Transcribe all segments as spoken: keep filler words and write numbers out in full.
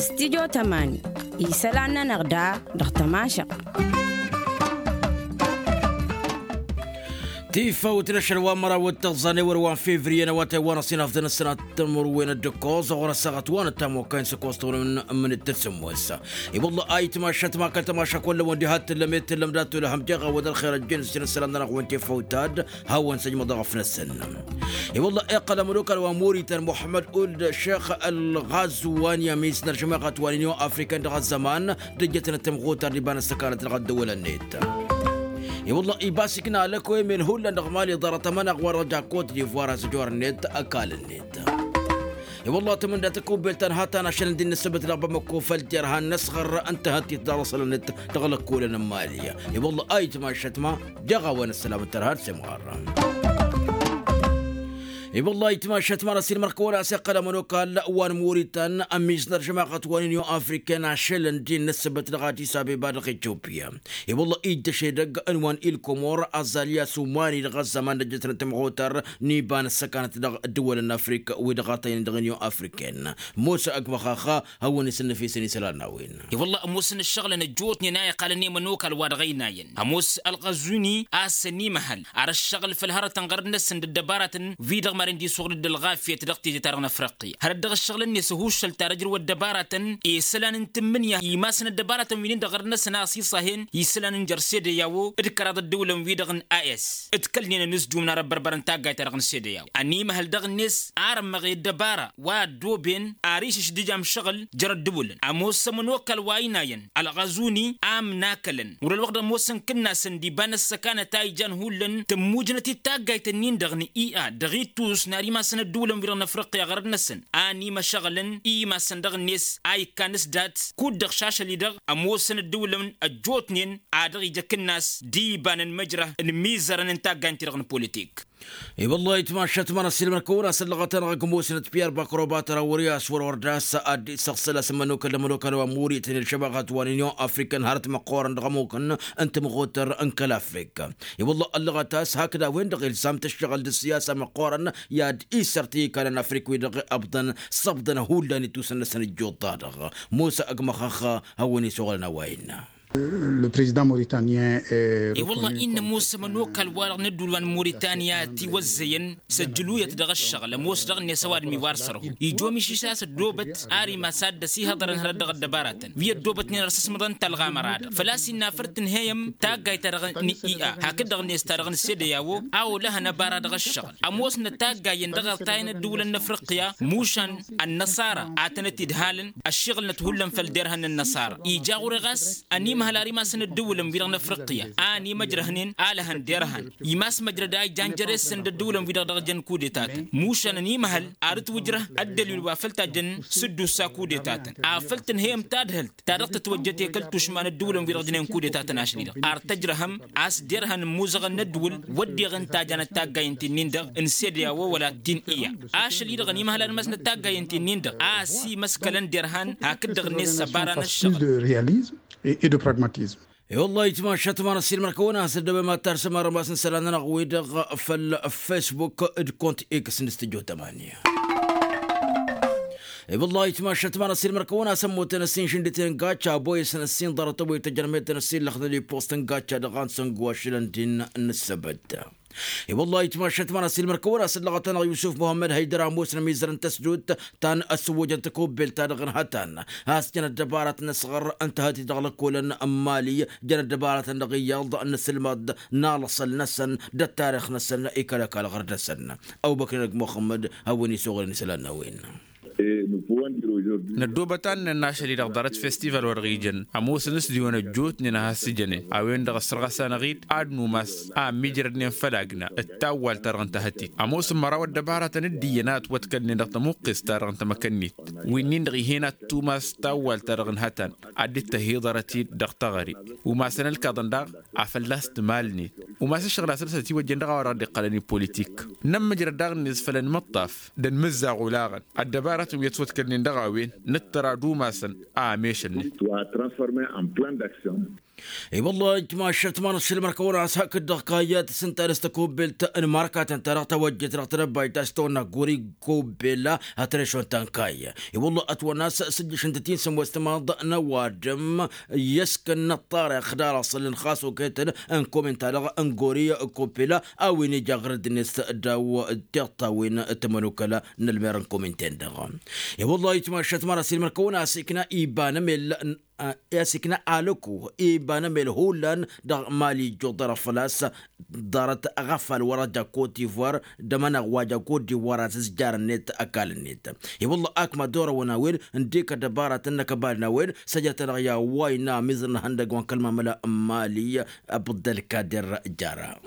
Stidyo tămani isălan-nănăɣ da dăɣ-tămašăɣt. Tifăwt n-ašăl wa n-măraw d-tăẓẓane wăr wa n-fevriye n-awătay wa n-ăṣinafḍăn ăssinat tămărwen d-ǝkkoẓ ɣur-ăssaɣăt wa n-ăttamokay n-săkkoẓ tăwănăm n-mǝnǝt tǝssǝmmos. I-wălla ayǝtmašăt ma kăl-tămašăk wălla wăn diha t-tǝllăm i-t-tǝllăm dat-tulăhăm deɣ a wăd ălxer ăjjeen s-jăn ăssălan-nănăɣ wăn tifăwt ad-hawăn-săjmăḍ dăɣ-ăfnăsăn. I-wălla iqqăl ămănokal wa n-murităn muḥămmăd uld šex ălɣazwan i-ămis n-ărjămaɣăt wa n-inyon afrikan dăɣ-ăzzăman d-ǝjjătăn d-tămɣutar d-iba n-ăssăkanăt dăɣ-ăddăwălăn-net. I-wălla ibas ikna lăkoy men hullan dăɣ-mali ḍarăt ămănaɣ wa dăɣ-jakot d-ivoar a-s ăjor-net ăkall-net. I-wălla tămănda tăkubbelt ta n-hatan ašăl ǝndi n-ǝssǝbǝt dăɣ-bamăko făll-terhan n-ăsɣăr n-tahăttit dăɣ-ălăṣălăn-net dăɣ-lăkkolăn n-mali. I-wălla ayǝtmašăt ma jeɣ a-wen ăssălam n-tărha d-semɣar. I-wălla ayǝtmašăt ma n-ăsilmăr kăwăn-as iqqăl ămănokal wa n-muritan ămmiznăr žămaɣăt wa n-inyon afriken ašăl ǝndi n-ǝssǝbǝt dăɣ-adis abeba dăɣ-etiopiya. I-wălla iddăš edăgg n-wa n-ilkomor azalya sumani dăɣ-ăzzăman d-ăjjătnăt timɣutar n-iba n-ăssăkanăt dăɣ-ǝddǝwălăn n-afrika wi dăɣ-atăynen dăɣ-inyon afriken. Musa ăgg măxaxa hawăn-isǝnnǝf isăn isălan n-a-wen. I-wălla ămoosăn ǝššăɣǝlăn ăjjootnen a iqqalăn i-mănokal wa dăɣ-ăynayăn ămoos ălɣăzuni a-s ănimăhăl ar ǝššăɣǝl făll-hărătăn ɣărăt-năsăn d-ăddăbaratăn wi-dăɣ maren d-iswăɣ dd-ălɣafyăt dăɣ-tije-ta-dăɣ n-afriqi hărăt dăɣ-ǝššăɣǝlăn-net ǝhuššăl ta dăr-ǝjrǝw ăddăbaratăn i-isălan n-tǝmmǝnǝya imasăn ăddăbaratăn wi-nin-dăɣ ɣărăt-năsăn a ăṣiṣahen isălan n-jer-sedeyawo d-kăraḍ ăddăwǝlăn-wi-dăɣ n-a s ǝdkălnen ănǝsdum n-arăbbărbărăn taggayt-ta-dăɣ n-sedeyawo ănimăhăl dăɣ-net ar ămmăɣ i-ăddăbara wa ăddooben ar išǝš d-ija ămšăɣǝl jer-ăddǝwǝlăn ămoos ămănokal wa ăynayăn ălɣăzuni a ǝmnakălăn wăr-ălwăqq d-ămoosăn kǝnnasăn d-iba n-ăssăkanăt a ijan hullan tămmujnăt-dd taggayt-ǝnnin-dăɣ n-ia dăɣ-ittus n-ar imasăn ăddǝwǝlăn-wi-dăɣ n-afriqya ɣărăt-năsăn a ănimăšăɣǝlăn i-imasăn dăɣ-net a ikkan s-dat kud-dăɣ šašăl-i-dăɣ ămoosăn ăddǝwǝlăn ăjjootnen a dăɣ-ija kǝnnas d-iba n-ănmăjrăh n-imizărăn n-taggayt-ti-dăɣ n-politik. I-wăllah itmašăt ma n-ăssiilmăr-kăwăn-asăn lăɣăt-anăɣ ăgg ămoosnăt piyar bakrobat ărawăr i-a-s wăr-wăr d-a-s ad-dd-isăɣsăl a-s ămănokăl d-ămănokăl wa n-murităn i-ălšăbaɣăt wa n-inyon afrikăn hărăt măqqoorăn dăɣ-ămukăn n-tămɣutăr n-kăl-afrika. I-wăllah ăllăɣăt a-s hakd a-wen-dăɣ ilzam tǝššăɣǝl d-ǝssiyasa măqqoorăn i-ad-isăr ti ikanăn afrik wi-dăɣ ăbḍăn s-ăbḍăn hullan itusăn-năsăn ǝjjuḍ-ta-dăɣ. Musa ăgg măxăxxa hawăn-isuɣǝlăn a-wa innă. Le président mauritanien. I-wăllah innă ămoos ămănokal-wa-dăɣ n-ădduul wa n-muritanya tiwăzzăyăn s-ăjjǝluyăt dăɣ-ăššăɣǝl ămoos dăɣ-net ăwadǝm iwar sărhu ijom išǝš a-s ăddoobăt ar imas ad-dd-ăsihăḍărăn hărăt dăɣ-ăddăbaratăn wi ăddoobătnen ar sǝsmăḍăn talɣa măra-dăɣ făl-a-s innă a făr tǝnhăyăm taggayt-ta-dăɣ n-ia hakd-dăɣ-net ta dăɣ-nǝssedăy a-wo a olăhăn ăbara dăɣ-ăššăɣǝl ămoosnăt taggayen dăɣ-ărtayăn ăddǝwǝlăn n-afriqya mušan ănnăṣara ad-tănăt-idhalăn ăššiɣǝlnăt hullan făll-derhăn n-ănnăṣara ija ɣur-e ɣas ănimăhăl ar imasăn ăddǝwǝlăn-wi-dăɣ n-afriqya a ănimăjrăhnen a lăhăn derhăn imas măjrăd a ijan jere-săn d-ăddǝwǝlăn-wi-dăɣ dăɣ-jăn kudetatăn mušan ănimăhăl ar ǝtwǝjrăh ăddălil wa făl tajăn s-dd-ussa kudetatăn afăl tǝnhăyăm tadhǝlt ta dăɣ-tǝtwăjjăt i-kăl-tušma n-ăddǝwǝlăn-wi-dăɣ jănen kudetatăn ašli-dăɣ ar tăjrăhăm a-s derhăn ǝmmuzăɣăn n-ăddǝwǝl wădden ǝntajăn ăttaggayăn ti-nin-dăɣ n-sedeya wa wăla t-in-iya ašăl-i-dăɣ ănimăhăl ad-imasnăt taggayen ti-nin-dăɣ a ăsimăskălăn derhan hakd-dăɣ-net s-ăbara n-ăššăɣǝl. De réalisme et de pragmatisme. I-wăllah itmašăt ma n-ăssiilmăr-kăwăn a-s ăddăwem ad-tarsăm armas n-isălan-nănăɣ wi-dăɣ făll-facebook d-kont x n-studyo tămani. I-wăllah itmašăt ma n-ăssiilmăr-kăwăn a-s ămmutăn ăssin šǝndǝten n-gacca ăboyăsăn ăssin ḍarăt-ăwwăy tăjrămet n-ăssin lăxdăd-i post n-gacca dăɣ-ansăn guwašǝlăn din n-ǝssăbăt. I-wăllah itmašăt ma n-ăssiilmăr-kăwăn a-s ăllăɣăt-anăɣ yusuf muhămmăd hăydăr ămoosnăm izăr n-tăsdut ta n-ăswăjăn tăkubbelt-ta-dăɣ n-hătan a-s jăn ăddăbaratăn n-asɣăr n-tahătit dăɣ-lăkkolăn n-mali jăn ăddăbaratăn dăɣ-iyyăḍ n-asǝlmăḍ n-alăṣăl-năsăn d-ăttarix-năsăn ikăl-ăkall ɣăr-dăɣ-săn. Ăbubăkr inăgg muxămmăd hawăn-isuɣǝlăn isălan n-a-wen. Năddoobăt ad-nǝnnăn ašăl-i-dăɣ ḍarăt festival wa dăɣ-ijăn ămoosăn s-diwăn ăjjootnen a has-ǝjănen a-wen-dăɣ ăssărɣăs-anăɣ-dd ad-numas a ămmiijrădnen făll-agna d-tawwalt-ta-dăɣ n-tahătit ămoosăn măraw ăddăbaratăn d-iyyăn a ătwătkălnen dăɣ-tămuqqest-ta-dăɣ n-tamăkănnit wi-nin-dăɣ ih'-en ad-tumas tawwalt-ta-dăɣ n-hătan ad-dd-tăhiḍărăt-dd dăɣ-taɣăre umasăn ălkaḍăn daɣ a fălla-s tǝmalnet umas ǝššăɣǝl a săr-s ătiwăjjen dăɣ-a-wa dăɣ-dd-iqqălăn i-politik. Nămmǝjrăd daɣ-net făll-ănmăṭṭaf d-ănmǝzzaɣ olaɣăn ăddăbaratăn wi ătwătkălnen dăɣ-a-wen nǝttăr ad-umasăn a ămešălnen. Wa transforme en plan d'action. I-wălla ijmašăt ma n-ašăl mărkăwăn a-s hakd-dăɣ kayya tǝsǝnta dăɣ-s tăkubbelt n-markatăn-ta-dăɣ tawăjjet dăɣ-tedăbbayt a-s tăwănna guri kubbel. Hătrăšon tankayya i-wălla ătwănna a-s sǝjjǝšăn tătinsăm wăstămaḍ n-ăwadǝm. I-ăskăn n-ăṭṭarix d-arăṣălăn xas oketăn n-komin-ta-dăɣ n-gori kubbel a-wen ija ɣărăd-net daw tiṭṭawen tămănukăla n-ălmer n-komin-ten-dăɣ. I-wălla itmašăt măra s-ilmăr kăwăn-as ikna iba n-emel. I-asikna alăku iba n-emel hullan dăɣ-mali ijjuḍ dăr-afălas. Ḍarăt ɣafal wăra ja kot-divoir d-amănăɣ wa ja kot-divoir a tǝzjarăn-net ăkall-net. I-wălla akma d-orăwăn a-wen n-dikăt dăbaratăn n-akăbal n-a-wen. Săjătăn-dăɣ i-a-wa innă amiẓăn n-ihăndăg wa n-kăl-mamăla n-mali. Abdălkader jara.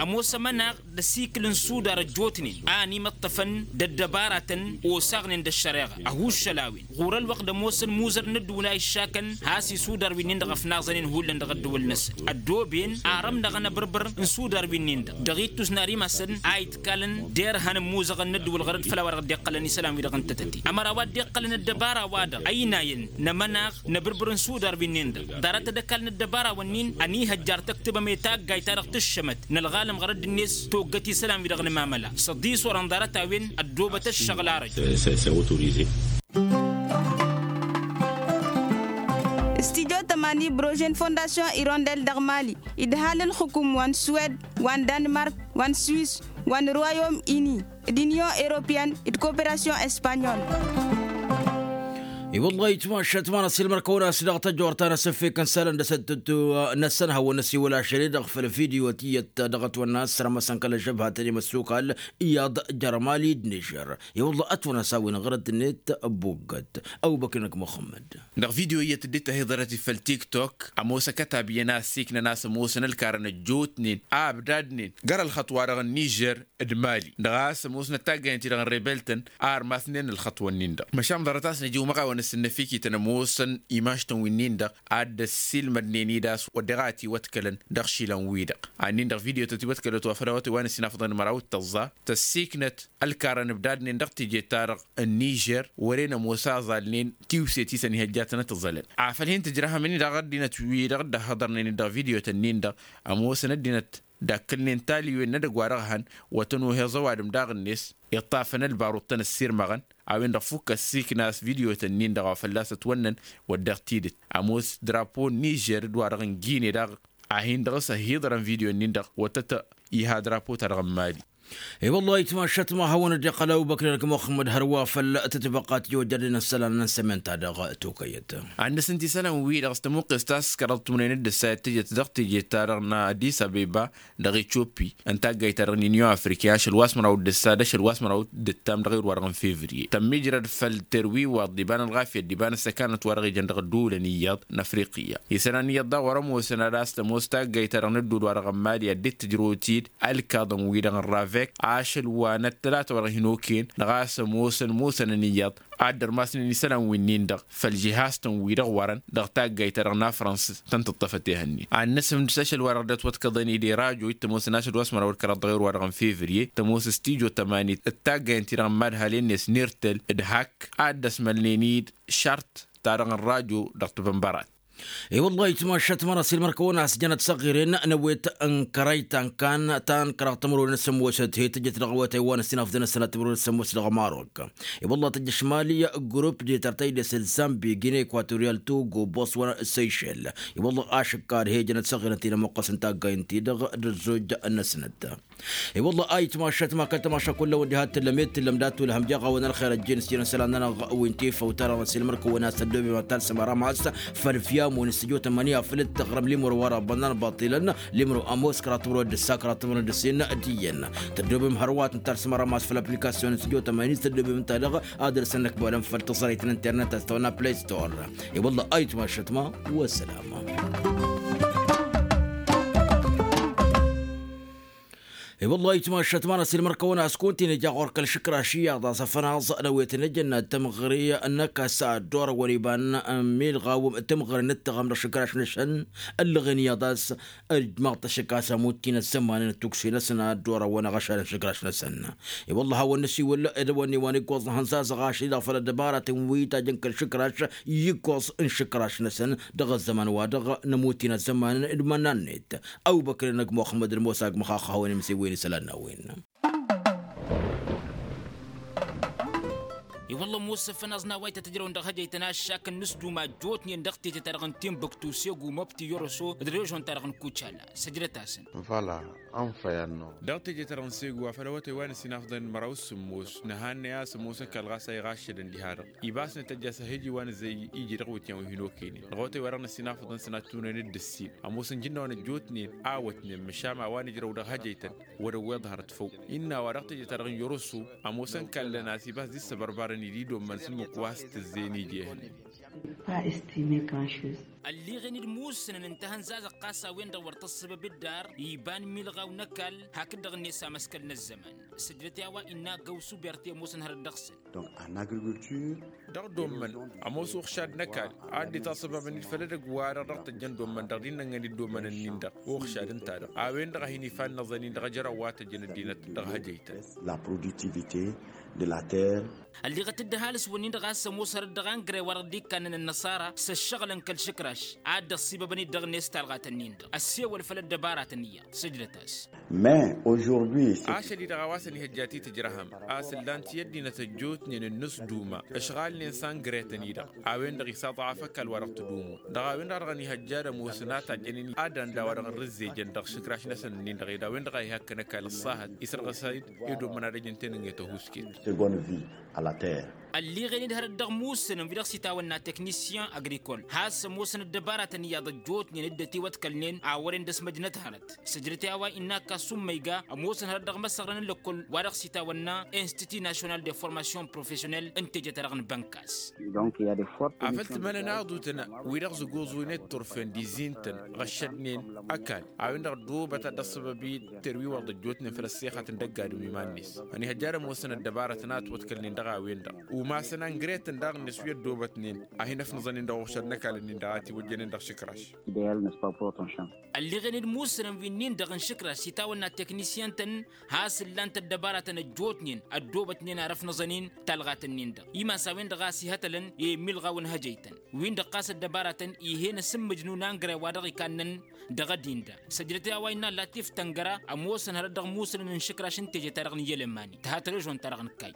Ămoos ămănaɣ d-asikǝl n-sudar ăjjootnen a ănimăṭṭăfăn d-ăddăbaratăn osaɣnen d-ăššăreɣa ăhuuššăl a-wen ɣur-ălwăqq d-ămoosăn imuzăr n-ăddǝwǝl a iššakăn. Has-isudar wi-nin-dăɣ ăfnaẓănen hullan dăɣ-ăddǝwǝl-năsăn ăddooben arămnăɣăn abǝrbǝr n-sudar wi-nin-dăɣ dăɣ-ittus n-ar imasăn a itkalăn d-erhan n-imuzăɣăn n-ăddǝwǝl ɣărăt făll-a-wa dăɣ-dd-iqqălăn isălan-wi-dăɣ n-tătăte ămăra a-wa dd-iqqălăn ăddăbara-wa-dăɣ ăynayăn n-amănaɣ n-abǝrbǝr n-sudar wi-nin-dăɣ. Ḍarăt ad-ăkall n-ăddăbara-wǝnnin ănihăjjar tăktǝbăm i-taggayt-ta-dăɣ tǝššămăt n-ălɣalăm ɣărăt d-net toggăt isălan-wi-dăɣ n-amamăla s-ăḍis orăn ḍarăt-a-wen. Ăddoobăt ăššăɣǝl arăj. Studio tămani brožen fondasyon irondel dăɣ-mali idhal ǝlxǝkum wa n-suwed wa n-danmark wa n-swis wa n-royom ini d-inyon europeyăn d-koperasyon espanyol. I-wăllah itmašat ma n-asilmăr kăwăn-as dăɣ-tăjorta n-asǝffek n-isălan d-asăttăttu n-asănhăwăn n-asiwăl ašăl-i-dăɣ făll-video tiyyăt dăɣ-ătwănna s-rămăsăn kăl-ăžžăbhatăn i-măssukal iyyăḍ jer-mali d-nižer. I-wăllah ătwănna s-a-wen ɣărăt-net buggăt. Ăwbăknăk muxămmăd. Dăɣ-video iyyăt dd-tahǝḍărăt-i făll-tiktok ămoos ăkătab iyyăn a ăssiiknăn a-s ămoosăn ălkarăn ăjjootnen a ăbdadnen gar-ălxăṭṭ-wa-dăɣ n-nižer d-mali dăɣ-a-s ămoosnăt taggayăn-ti-dăɣ n-rebeltăn a ărmasnen ălxăṭṭ-wǝnnin-dăɣ măšan ḍarăt a-s nǝja umăɣawăn ăssinnăfikităn ămoosăn imaštăn wi-nin-dăɣ a dd-ăssiilmădnen-dd a-s wădden a ătiwătkălăn dăɣ-išilan-wi-dăɣ. Annin-dăɣ video-tăt iwătkălăt wa făll-a-wa tăwwa n-ăssinafăḍăn măraw d-tăẓẓa tăssiiknăt ălkarăn ǝbdadnen dăɣ-teje-ta-dăɣ n-nižer wăren ămoos a ăẓalnen tiwset-i s-ănihăjjatăn ad-t-ǝẓălăn. Afăl hin-tǝjrăhăm-in-dăɣ ăddinăt-wi-dăɣ dd-ăhhăḍărnen-dd dăɣ-video-tăn-in-dăɣ ămoosăn ăddinăt d-akkǝlnen taliwen n-edăgg-wa-dăɣ hăn wăr tăn-ohăẓ ăwadǝm daɣ-net iṭṭafăn ălbarut tăn-ăssirmăɣăn. A-wen-dăɣ fukk ăssiikna a-s video-tăn-in-dăɣ wa fălla-s ătwănnăn wădden tidǝt ămoos drapo n-nižer d-wa-dăɣ n-gine daɣ a hin-dăɣ-s ăhiḍărăn video-nin-dăɣ wăr tăt-iha drapo-ta-dăɣ n-mali. I-wăllah itmašat ma hawăn-dd-iqqăl ăbubăkr-i-dăɣ muxămmăd hărwa făll-tǝtbăqqat i-ojjădnen ăssălan n-sămen-ta-dăɣ tokăyăt. Ad-nǝsǝnt isălan-wi dăɣ-s tămuqqes ta s-kăraḍ tumnen d-ǝssa i-tǝjăt dăɣ-teje-ta-dăɣ n-adis abeba dăɣ-etioppi n-taggayt-ta-dăɣ n-inyon afriki ašăl wa s-măraw d-ǝssa d-ašăl wa s-măraw d-ǝttam dăɣ-ewăr wa-dăɣ n-fevriye tămmijrăd făll-terwiwaḍ d-iba n-ălɣafyăt d-iba n-ăssăkanăt wa dăɣ-ijăn dăɣ-ădduulăn iyyăḍ n-afriqiyya. Isălan iyyăḍ daɣ wăr-ămoosăn ad-as-tămoos taggayt-ta-dăɣ n-ădduul wa dăɣ-n mali a dd-tǝjrăwăt-dd ălkaḍăn-wi-dăɣ n-ravek ašăl wa n-ăttălatăwăr hin-okăyăn dăɣ-a-s ămoosăn ămoosănăn iyyăḍ ad-dd-ărmasnen isălan-win-in-dăɣ făll-žihaz-tăn-wi-dăɣ wărăn dăɣ-taggayt-ta-dăɣ n-afrăns tăn-tǝṭṭăfăt ehăn-in. Ad-nǝsǝfhǝm d-ašăl wa dăɣ-dd-ătwătkăḍăn-dd i-rajo d-tămoos n-ašăl wa s-măraw d-kăraḍ dăɣ-ewăr wa-dăɣ n-fevriye tămoos stujo tămani d-taggay-en-ti-dăɣ n-imadhalen-net n-irtel d-hak ad-dd-ăsmălnen-dd šart ta-dăɣ n-rajo dăɣ-tibănbărat. I-wăllah itmašat măra s-ilmăr-kăwăn a-s jănăt săɣiren n-ewet n-kărăy ta n-kan ta n-kăraḍ tămăro n-sămoosăt he-tǝjăt dăɣ-awătay wa n-ăssinafdăn ăssănat tămăro n-sămoosăt dăɣ-marok. I-wăllah tăjjăš mali grup d-tărtăy d-esăl zambi gine ekwatoriyal togo boswăr seyšel. I-wăllah ašǝkkar he-jănăt săɣiren ti n-ămăqqăs n-taggay n-ti-dăɣ d-ăzzoj n-ăsnăt. I-wălla a itmašat ma kăl-tămaša kull-a-wen diha t-tǝllăm i-t-tǝllăm d-ad-tulhăm jeɣ-awăn ălxer ăjjeen s-jăn isălan-nănăɣ wi n-tifăw-ta-dăɣ n-silmăr-kăwăn a-s tăddoobem ad-talsăm ara ma-s făll-fiyam-wen s-tǝjot ămăni afăl dd-tăɣrăm limro wa răbbănna n-baṭilăn limro ămoos kăraḍ timǝrwen d-ǝssa kăraḍ timǝrwen d-ǝssin d-iyyăn. Tăddoobem hărwa ad-tǝn-talsăm ara ma-s făll-aplikasyon s-tǝjot ămăni s-tăddoobem ǝnta-dăɣ ad-dăr-săn năkbălăn făll-tăẓrăyt n-internet a-s tăwănna play store. I-wălla a itmašat ma wăssălama. I-wălla itmašat ma n-asilmăr-kăwăn-as kunta-in ija ɣur-kăl-išǝkraš iyyăḍ a-s afănaẓ n-awet n-ejănna d-tămɣăre n-ăkkas a dd-orăwăn iba n-milɣaw tămɣăre n-ǝttăɣăm dăɣ-išǝkraš-năsăn. Ǝllăɣen iyyăḍ a-s ăjmaḍ-t ašǝkkas amut-in ăzzăman n-atuksi-năsăn a dd-orăwăn aɣăšad n-išǝkraš-năsăn. I-wălla a hawăn-năsiwǝl d-ăwănne wa n-iggoẓ n-ihănzazăɣ ašăl-i-dăɣ făll-ăddăbaratăn wi tajăn kăl-išǝkraš i-iggoẓ n-išǝkraš-năsăn dăɣ-ăzzăman-wa-dăɣ. N-ămut-in ăzzăman d-iman-net. Awbăkr-enăg muxămmăd d-musa agg măxaxăwăn imsiwǝyăn isălan n-a-wen. I-wălla ămoos afănaẓ n-a-wa ităt ǝjrăwăn dăɣ-hăjăytăn aššak n-inǝsduma ăjjootnen dăɣ-teje-ta-dăɣ n-timbuktu segu măbti yoroso d-režon-ta-dăɣ n-kucala. Săjdăt-asăn. Văla anfăy anno. Dăɣ-teje-ta-dăɣ n-segu afăl awătay wa n-ăsinafḍăn măraw s-ămoos nǝhannăy a-s ămoosăn kall ɣas a iɣaššădăn diha-dăɣ ibas n-tăjja s-ahǝji wa n-zăy iji dăɣ-iwǝtyan wi hin-okăynen dăɣ-awătay wa dăɣ-năsinafḍăn s-nătunăn d-ǝssin. Ămoosăn jǝnnaw n-ăjjootnen a ăwătnen măšan a-wa n-ǝjrăw dăɣ-hăjăytăn wăr-ăwweḍ hărăt făw. Innă a-wa dăɣ-teje-ta-dăɣ n-yoroso ămoosăn kallăn a-s ibas d-issăbărbărăn-dd i-dd-ommăn s-ǝmmǝk wa s-tǝzzeyăn iji ehăn. Ălliɣen-dd musǝnăn n-tahǝnzazăɣt ɣas a-wen-dăɣ wăr tăssăbăb dd-ar iba n-imilɣaw n-ăkall hakd-dăɣ-net amăskăl n-ăzzăman. Săjdăt i-a-wa innă agg-awsu berte ămoosăn hărăt dăɣ-săn. Donc en agriculture. Dăɣ-dd-ommăn ămoos uɣšad n-ăkall a dd-itasăbăbăn-dd făll-edăgg-wa-dăɣ dăɣ-tăjjăn dd-ommăn dăɣ-dd-innăŋăn-dd ommăn-nin-dăɣ uɣšad ǝnta-dăɣ a-wen-dăɣ a hin-ifannăẓăn-in dăɣ-ajăraw wa tăjjăn ăddinăt dăɣ-hăjăytăn. La productivité de la terre. Ălliɣăt-dd ăhalǝs-wǝnnin-dăɣ a-s ămoos hărăt dăɣ-angre wa dăɣ-dd-ikkannăn ănnăṣara s-ăššăɣǝlăn kăl-išǝkraš a dd-ăṣṣibăbăn-dd dăɣ-net talɣat-nin-dăɣ ăssewăl făll-ăddăbaratăn iyyăḍ. Săjdăt-as. Mais aujourd'hui ašăl-i-dăɣ a-wa s-ănihăjja titǝjrăhăm a-s ǝllan-t i-ăddinăt ăjjootnen n-inǝsduma ǝšɣalnen s-angretăn-i-dăɣ a-wen-dăɣ isaḍăɣaf ăkall wa dăɣ-tǝdumu dăɣ-a-wen-dăɣ a dăɣ-ănihăjja d-ămoosăn a tajjănen ad-anda wa dăɣ-ărrǝzzejăn dăɣ-išǝkraš-năsăn-nin-dăɣ ed a-wen-dăɣ a ihăkkăn ăkall ăṣṣahăt isărɣǝs-dd ed ommăn ad-ăj ǝnta enănge tăhusket. Seconde vie à la terre. Ălliɣen-dd hărăt dăɣ-musǝnăn wi-dăɣ s-itawănna teknisyen agrikol has-ămoosăn ăddăbaratăn iyyăḍ ăjjootnen dd-ătiwăḍkălnen a wăren dăɣ-s măjnăt hărăt. Săjdăt i-a-wa innă ăkall s-ummăyga ămoosăn hărăt dăɣ-imăsăɣrăn n-lăkkol wa dăɣ-s itawănna institut national de formation professionnel n-teje-ta-dăɣ n-bănkas. Afăl tǝmănăn aḍutăn wi-dăɣ zăgoẓunen turfen d-izin-tăn ɣăššădnen ăkall a-wen-dăɣ ăddoobăt ad-dd-ăṣṣăbăb-i terwiwăḍ ăjjootnen făll-ăssexăt n-dăgg-adǝm iman-net. Ănihăjja ad-ămoosăn ăddăbarătăn a ătwăḍkălnen dăɣ-a-wen-dăɣ umasăn angret-tăn daɣ-net wi ăddoobătnen a hin-ăfnăẓăn-in dăɣ-uɣšad n-ăkall-nin-dăɣ a tiwăjjănen dăɣ-išǝkraš. Ălliɣen-dd musǝnăn wi-nin-dăɣ n-išǝkraš s-itawănna teknisyen-tăn has-ǝllan-t ăddăbaratăn ăjjootnen ăddoobătnen ar ăfnăẓăn-in talɣatăn-nin-dăɣ imas a-wen-dăɣ a ăsihătălăn i-imilɣaw n-hăjăytăn-win-dăɣ ɣas ăddăbaratăn ih'-en asǝmmǝjnu n-angre wa dăɣ-ikannăn dăɣ-ăddin-dăɣ. Săjdăt i-a-wa innă ăllat iftăngăra ămoosăn hărăt dăɣ-musǝnăn n-išǝkraš n-teje-ta-dăɣ n-iyyăl ămani tǝha trežon-ta-dăɣ n-kayy.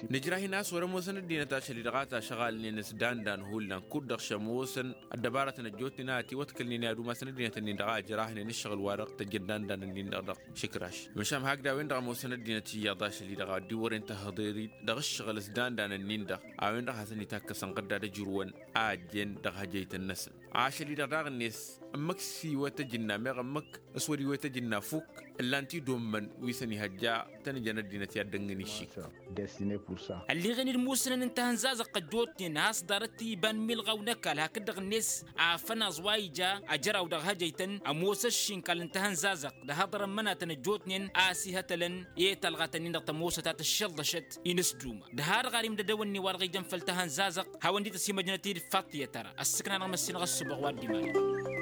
Nǝjrah-in a-s wăr-ămoosăn ăddinăt ašăl-i-dăɣ a tašăɣalnen s-dandan hullan kud-dăɣ šămoosăn ăddăbarătăn ăjjootnen a ătiwăḍkălnen i-ad-umasăn ăddinăt-nin-dăɣ a ǝjrahnen ǝššăɣǝl-wa-dăɣ tăjjăn dandan-nin-dăɣ dăɣ-išǝkraš. Măšan hakd a-wen-dăɣ ămoosăn ăddinăt iyyăḍ ašăl-i-dăɣ a dd-wăren tăhăḍer-dd dăɣ-ǝššăɣǝl s-dandan-nin-dăɣ a-wen-dăɣ hasăn-itakkăsăn ɣǝdda d-ăjrǝwăn a ăjjeen dăɣ-hăjăytăn-năsăn. Ašăl-i-dăɣ daɣ-net ǝmmǝk s-iwăt ăjǝnna meɣ ǝmmǝk s-wăr-iwăt ăjǝnna fukk ǝllan-t-dd ommăn wi s-ănihăjja tăn-ǝjăn ăddinăt i-ad-dăngăn išik. Ălliɣen-dd musǝnăn n-tahǝnzazăɣt ăjjootnen has-ḍarăt iba n-milɣaw n-ăkall hakd-dăɣ-net afănaẓ wa ija ajăraw dăɣ-hăjăytăn ămoos ăššinkal n-tahǝnzazăɣt d-ahăḍăr n-imănatăn ăjjootnen a ăsihătălăn i-talɣatăn-in-dăɣ tămoosăt a tǝššălḍăšăt inǝsduma d-har ɣarim d-edăwănni wa dăɣ-ijăn făll-tahǝnzazăɣt hawăn-dd-tăsimăjnăt-dd faṭṭyăt ara ăssǝkna-năɣ măssinăɣ ăssubăɣ wa dd-imanăɣ.